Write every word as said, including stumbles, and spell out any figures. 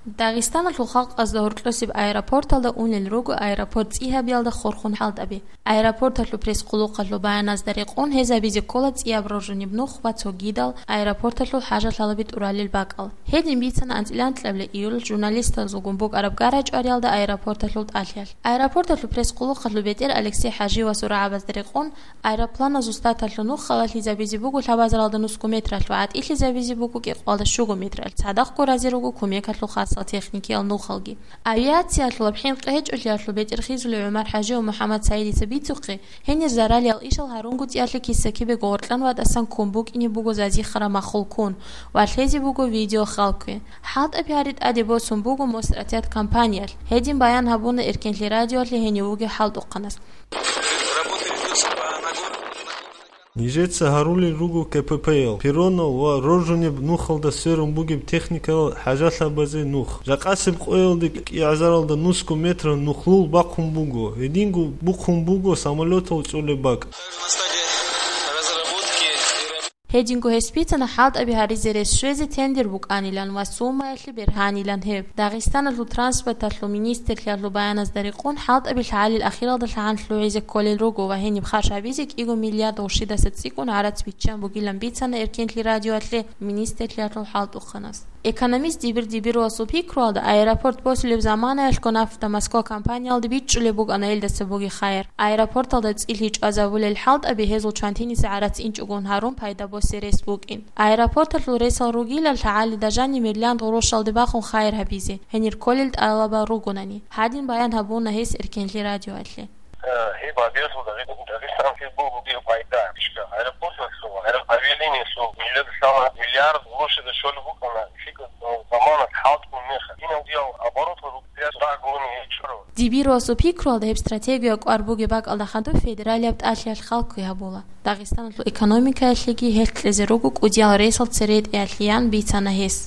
Дагъистаналъул халкъазда гьоркьосеб аэропорталда унел руго аэропорт цӀи гьабиялда хурхун хӀалтӀаби. Аэропорталъул пресс-къулухъалъул баяназда рекъон, гьез гьабизе ккола цӀияб роржунеб нух ва цогидал аэропорталъул хӀажалъалаби тӀуралел бакӀал. Гьедин бицана анцӀила анкьабилеб июль журналистазулгун букӀараб гарачӀвариялда аэропорталъул тӀалъиялъ. Аэропорталъул пресс-къулухъалъул бетӀер Алексей ХӀажи ва сурагӀабазда рекъон, аэропланазул старталъул нух халалъизабизе буго лъабазаралда нусго метралъ ва гӀатӀилъизабизе буго кӀикъоялда щуго метралъ, цадахъго разил руго кумекалъул хасал техникиял нухалги. Авиациялъул абхӀин къечӀолъиялъул бетӀер хизулев ГӀумар ХӀажи ва МухӀаммад СагӀидица бицухъе, гьенир заралиял ишал гьарун гуцӀиялъе киса-кибего гъоркьан ватӀасан ккун букӀине буго зазихъараб маххул ккун ва лъезе буго видео халкуе. ХӀалтӀаби гьари тӀаде босун буго Мосотряд компаниялъ. Гьедин баян гьабуна Эркенлъи радиоялъе гьенив вугев хӀалтӀухъанас. Нижеца гьарулел руго КПП-ял, перронал ва роржунеб нухалда сверун бугеб техникаял хӀажалъабазе нух. Жакъасеб къоялде кӀиазаралда нусго метр нухлул бахъун буго, гьединго бухъун буго самолетал чӀолеб бакӀ. Гьединго гьес бицана хӀалтӀаби гьаризе рес щвезе тендер букӀанилан ва суммаялъе бергьанилан гьеб. Дагъистаналъул транспорталъул министрлъиялъул баяназда рекъон, хӀалтӀаби лъагӀалил ахиралда лъагӀан лъугӀизе кколел руго ва гьениб харж гьабизе кӀиго миллиард гъурщидаса цӀикӀкӀун гӀарац биччан бугилан бицана Эркенлъи радиоялъе министрлъиялъул хӀалтӀухъанас. Экономист Дибир-Дибировасул пикруялда, аэропорт босулеб заманаялъго «Нафта Москва» компаниялде бичӀчӀулеб букӀана гьелдаса бугеб хайир. Аэропорталда цӀилъи чӀвазабулел хӀалтӀаби гьезул чвантиниса гӀарац инчӀогун гьарун пайда босе рес букӀин. Аэропорталъул ресал ругила лъагӀалида жаниб миллиард гъурущалде бахун хайир гьабизе, гьенир кколел тӀалабал ругонани. Гьадин баян гьабуна гьес Эркенлъи радиоялъе. Э, гьеб гьабиялъул Дагъи-, Дагъистаналъе буго гьеб пайда. Ишка, аэропорталъул, аэро-, авиалиниялъул миллиард лъала, миллиард гъурущида щолеб букӀана, лъикӀаб заманалъ хӀалтӀун мехалъ. Кинав диял оборот ва рубрияс рагьгуни гьечӀо. Дибировасул пикруялда гьеб стратегия кӀвар бугеб бакӀалда хадуб федералияб тӀалъиялъ халкуе гьабула. Дагъистаналъул экономикаялъеги гьелъ кьезе руго кӀудиял ресал цере тӀеялъеян бицана гьес.